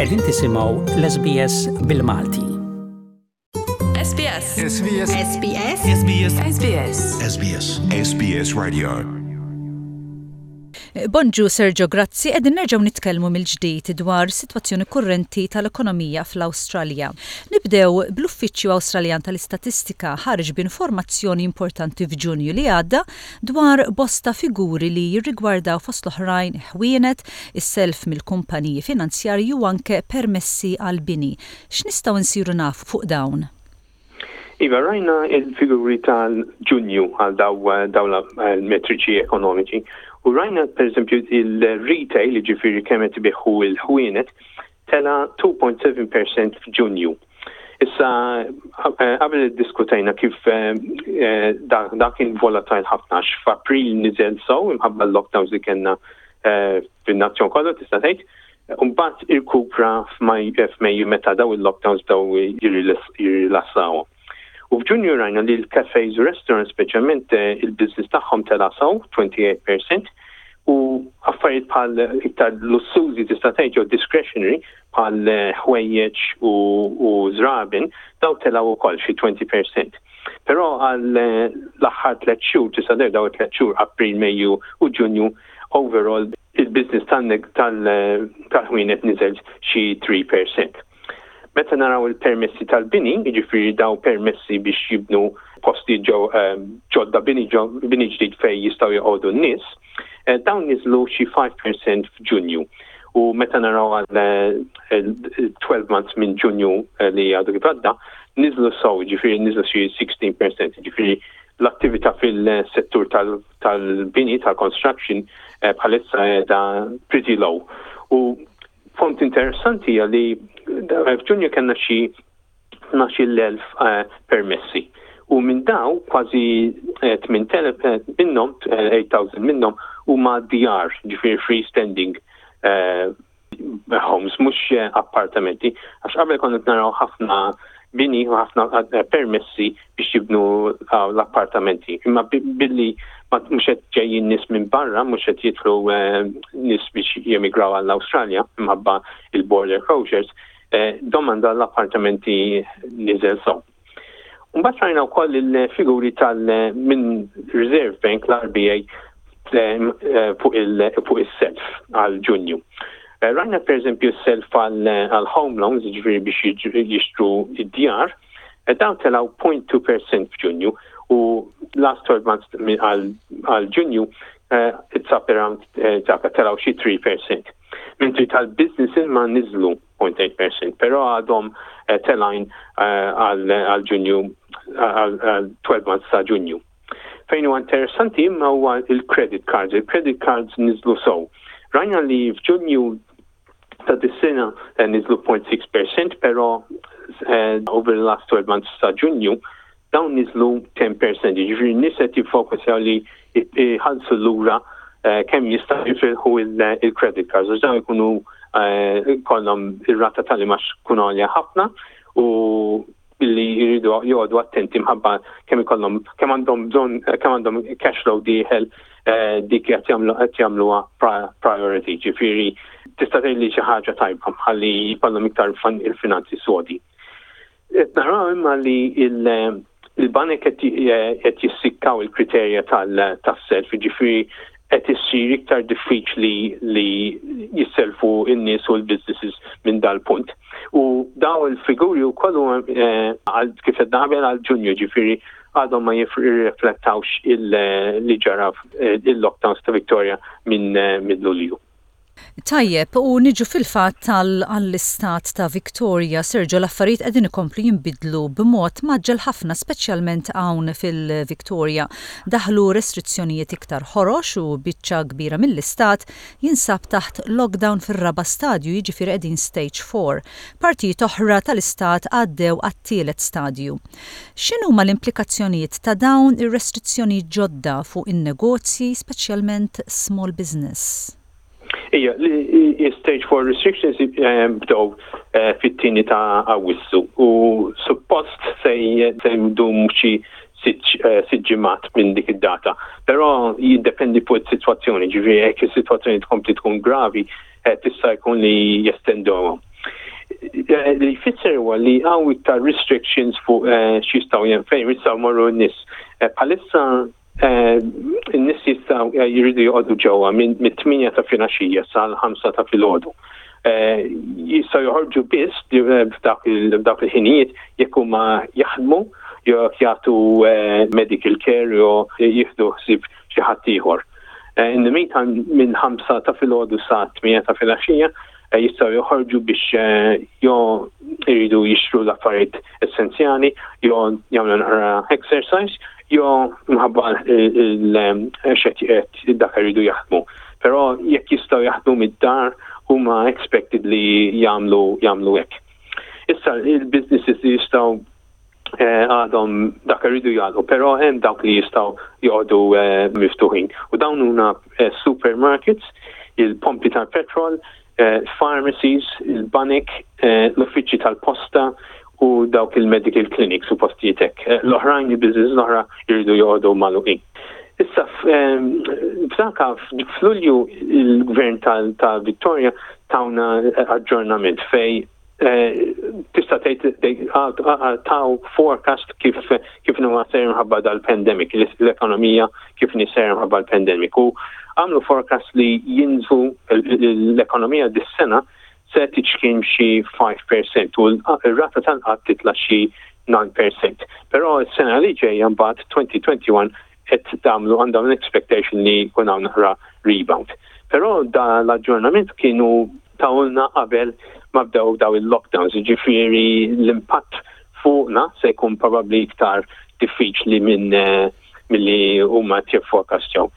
Qegħdin tisimgħu l-SBS bil-Malti. SBS. SBS. SBS. SBS. SBS. SBS. SBS Radio. Bonġu Sergio Grazzi, qegħdin nerġgħu nitkellmu mill-ġdid dwar sitwazzjoni kurrenti tal-ekonomija fl-Awstralja. Nibdew bl-Uffiċċju Awstraljan tal-Istatistika ħareġ b'informazzjoni importanti f'Ġunju li għadda dwar bosta figuri li jirrigwardaw fost l-oħrajn ħwienet, is-self mill-kumpaniji finanzjarji u anke permessi għall-bini. X'nistgħu nsiru nafu fuq dawn? Iva, rajna il-figuri tal-Ġunju għal dawn l-metriċi ekonomiċi u rajna pereżempju il-retail, jiġifieri kemm qed ibigħu l-ħwienet, tela' 2.7% f'Ġunju. Issa, qabel iddiskutejna kif da kien volatile ħafna għax f'April niżel sew imħabba l-lockdowns li kellna fin-nazzjon kollu tista' tgħid. Mbagħad irkupra f'Mejju meta daw il-lockdowns bdew jirrilassawhom. U f'Ġunju rajna li l-cafes u restaurants speċjalment il-business tagħhom tela' sew 28% u affarijiet bħal iktar lussużi tista' tgħid jew discretionary bħal ħwejjeġ u żraben daw telgħu wkoll xi 20%. Però għal l-aħħar tliet xhur tista' tgħid daw it-tliet xhur April, Mejju u Ġunju overall il-business tal-ħwienet niżel xi 3%. Meta naraw il-permessi tal-bini, jiġifieri daw permessi biex jibnu posti ġodda bini ġdid fejn jistgħu joqogħdu n-nies, dawn niżlu xi 5% f'Ġunju. U meta naraw għal 12 months minn Ġunju li għadu kif għadda, niżlu sew, jiġifieri niżlu xi 16%, jiġifieri l-attività fil-settur tal-bini, tal-construction, bħalissa qiegħda pretty low. U punt interessanti hija li f'Ġunju kellna xi 12,000 permessi. U minn daw kważi 8,000 minnhom, 8,000 minnhom huma djar, ġifieri freestanding homes, mhux appartamenti, għax qabel konna naraw ħafna bini u ħafna permessi biex jibnu l-appartamenti. Imma billi mhux qed ġejjin nies minn barra, mhux qed jidħlu nies biex jemigraw għall-Awstralja imħabba il-border closures, domanda l-appartamenti niżel sew. Mbagħad rajna wkoll il-figuri tal minn Reserve Bank l-RBA fuq is-self għal Ġunju. Rajna pereżempju s-self għal home loans, jiġifieri biex jixtru id-djar, dawn telgħu 0.2% f'Ġunju u last 12 months għal Ġunju it's up around telgħu xi 3%. Mentri tal-businesses ma niżlu 0.8%, però għadhom telgħin għal Ġunju għal 12 months ta' Ġunju. Fejn huwa interessanti imma huwa il-credit cards. Il-credit cards niżlu sew. Rajna li f'Ġunju ta' dis-sena niżlu 0.6%, però over the last 12 months ta' Ġunju dawn niżlu 10%, jiġifieri n-nies qed jiffokusjaw li jħallsu lura kemm jistgħu jifilħu il-credit cards, għax dawn ikunu kollhom ir-rata tal-imax tkun għolja ħafna u billi jridu joqogħdu attenti mħabba kemm ikollhom kemm għandhom bżonn kemm għandhom cash flow dieħel dik qed jagħmlu qed jagħmluha priority, ġifieri tista' tgħid li xi ħaġa tajba ħalli jkollhom iktar il-finanzi sodi. Qed naraw imma li il-banek qed jissikkaw il-kriterja tas-self, jiġifieri qed issir iktar diffiċli li jisselfu n-nies u l-businesses minn dal-punt. U daw il-figuri wkoll għal kif qed qabel għal Ġunju, ġifieri għadhom ma jirriflettawx li ġara il-lockdowns ta' Victoria minn Lulju. Tajjeb, u niġu fil-fatt għall-istat ta' Victoria. Sergio, l-affarijiet qegħdin ikomplu jinbidlu b'mod mgħaġġel ħafna, speċjalment hawn fil-Victoria. Daħlu restrizzjonijiet iktar ħorox u biċċa kbira mill-istat jinsab taħt lockdown fir-raba' stadju, jiġifieri qegħdin stage 4. Partijiet oħra tal-istat għaddew għat-tielet stadju. X'inhuma l-implikazzjonijiet ta' dawn ir-restrizzjonijiet ġodda fuq in-negozji, speċjalment small business? Ija, stage 4 restrictions bdew fit-tieni ta' Awwissu u suppost se jdum xi sitt ġimgħat minn dik id-data. Però jiddependi fuq is-sitwazzjoni, ġifieri jekk is-sitwazzjoni tkompli tkun gravi, tista' jkun li jestenduhom. Li jfisser huwa li hawn iktar restrictions fuq x'jistgħu fejn jistgħu jmorru n-nies. Bħalissa n-nies jistgħu jridu joqogħdu ġewwa mit-8 ta' filgħaxija sal-5 ta' filgħodu. Jistgħu joħorġu biss f'dawk il-ħinijiet jekk huma jaħdmu jew jekk jagħtu medical care jew jieħdu ħsieb xi ħadd ieħor. In the meantime minn 5 ta' filgħodu sa 8 ta' filgħaxija jistgħu joħorġu biex jew iridu jixtru l-affarijiet essenzjali jew jagħmlu naqra exercise jew minħabba il-xed dak iridu jaħdmu. Però jekk jistgħu jaħdmu mid-dar huma expected li jagħmlu jagħmlu hekk. Issa il-businesses li jistgħu għadhom dak irridu jagħlqu, però hemm dawk li jistgħu joqogħdu miftuħin. U dawn huma supermarkets, il-pompi tal-petrol, pharmacies, il-banek, l-uffiċċji tal-posta u dawk il-medical clinics u postijiet hekk. L-oħrajn, il-business l-oħra jridu joqogħdu magħluqin. Issa f'daka f'Lulju il-Gvern ta' Victoria tawna aġġornament fej tista' tgħid taw forecast kif kif inhuwa sejjer minħabba dal-pandemic, l-ekonomija kif inhi sejjer minħabba l-pandemic. U għamlu forecast li jinżlu l-ekonomija dis-sena se tiċkien xi 5% u r-rata tal-qgħad titla' xi 9%. Però s-sena li ġejja mbagħad 2021 qed tagħmlu għandhom l-expectation li jkun hawn naqra rebound. Però da l-aġġornament kienu tawulna qabel ma bdew daw il-lockdowns, jiġifieri l-impatt fuqna se jkun probabbli iktar diffiċli minn milli huma qed jifforecastjaw.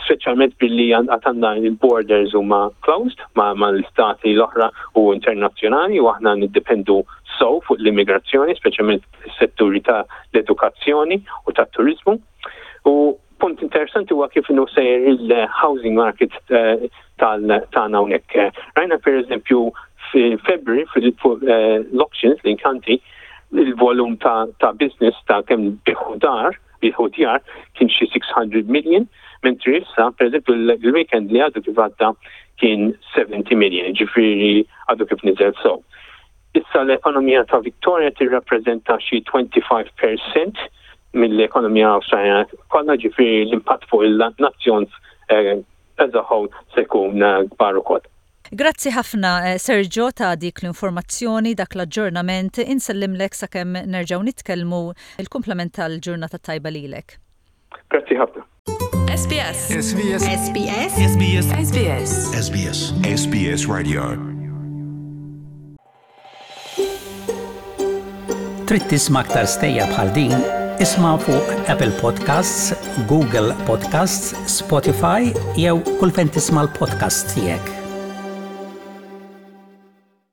Speċjalment billi għad għandna il-borders huma closed ma' l-istati l-oħra u internazzjonali u aħna niddependu sew fuq l-immigrazzjoni, speċjalment fis-setturi ta' l-edukazzjoni u tat-turiżmu. U punt interessanti huwa kif inhu sejjer il-housing market tagħna hawnhekk. Rajna pereżempju f'February fuq l-auctions l-inkanti il-volum ta' business ta' kemm biegħu dar, biegħu djar kien xi 600 million, mentri issa pereżempju l-weekend li għadu kif għadda kien 70 million, ġifieri għadu kif niżel sew. Issa l-ekonomija ta' Victoria tirrappreżenta xi 25 percent mill-ekonomija Awstraljana kollha, ġifieri l-impatt fuq il-nazzjon as a whole se jkun kbar ukoll. Grazzi ħafna Sergio ta' dik l-informazzjoni, dak l-aġġornament. Insellimlek sakemm nerġgħu nitkellmu. Il-kumplament tal-ġurnata t-tajba lilek. Grazzi ħafna. SBS. SBS. SBS. SBS. SBS. SBS. SBS Radio. Trid tisma' aktar stejjer bħal din? Isma' fuq Apple Podcasts, Google Podcasts, Spotify jew kull fejn tisma' l-podcasts tiegħek.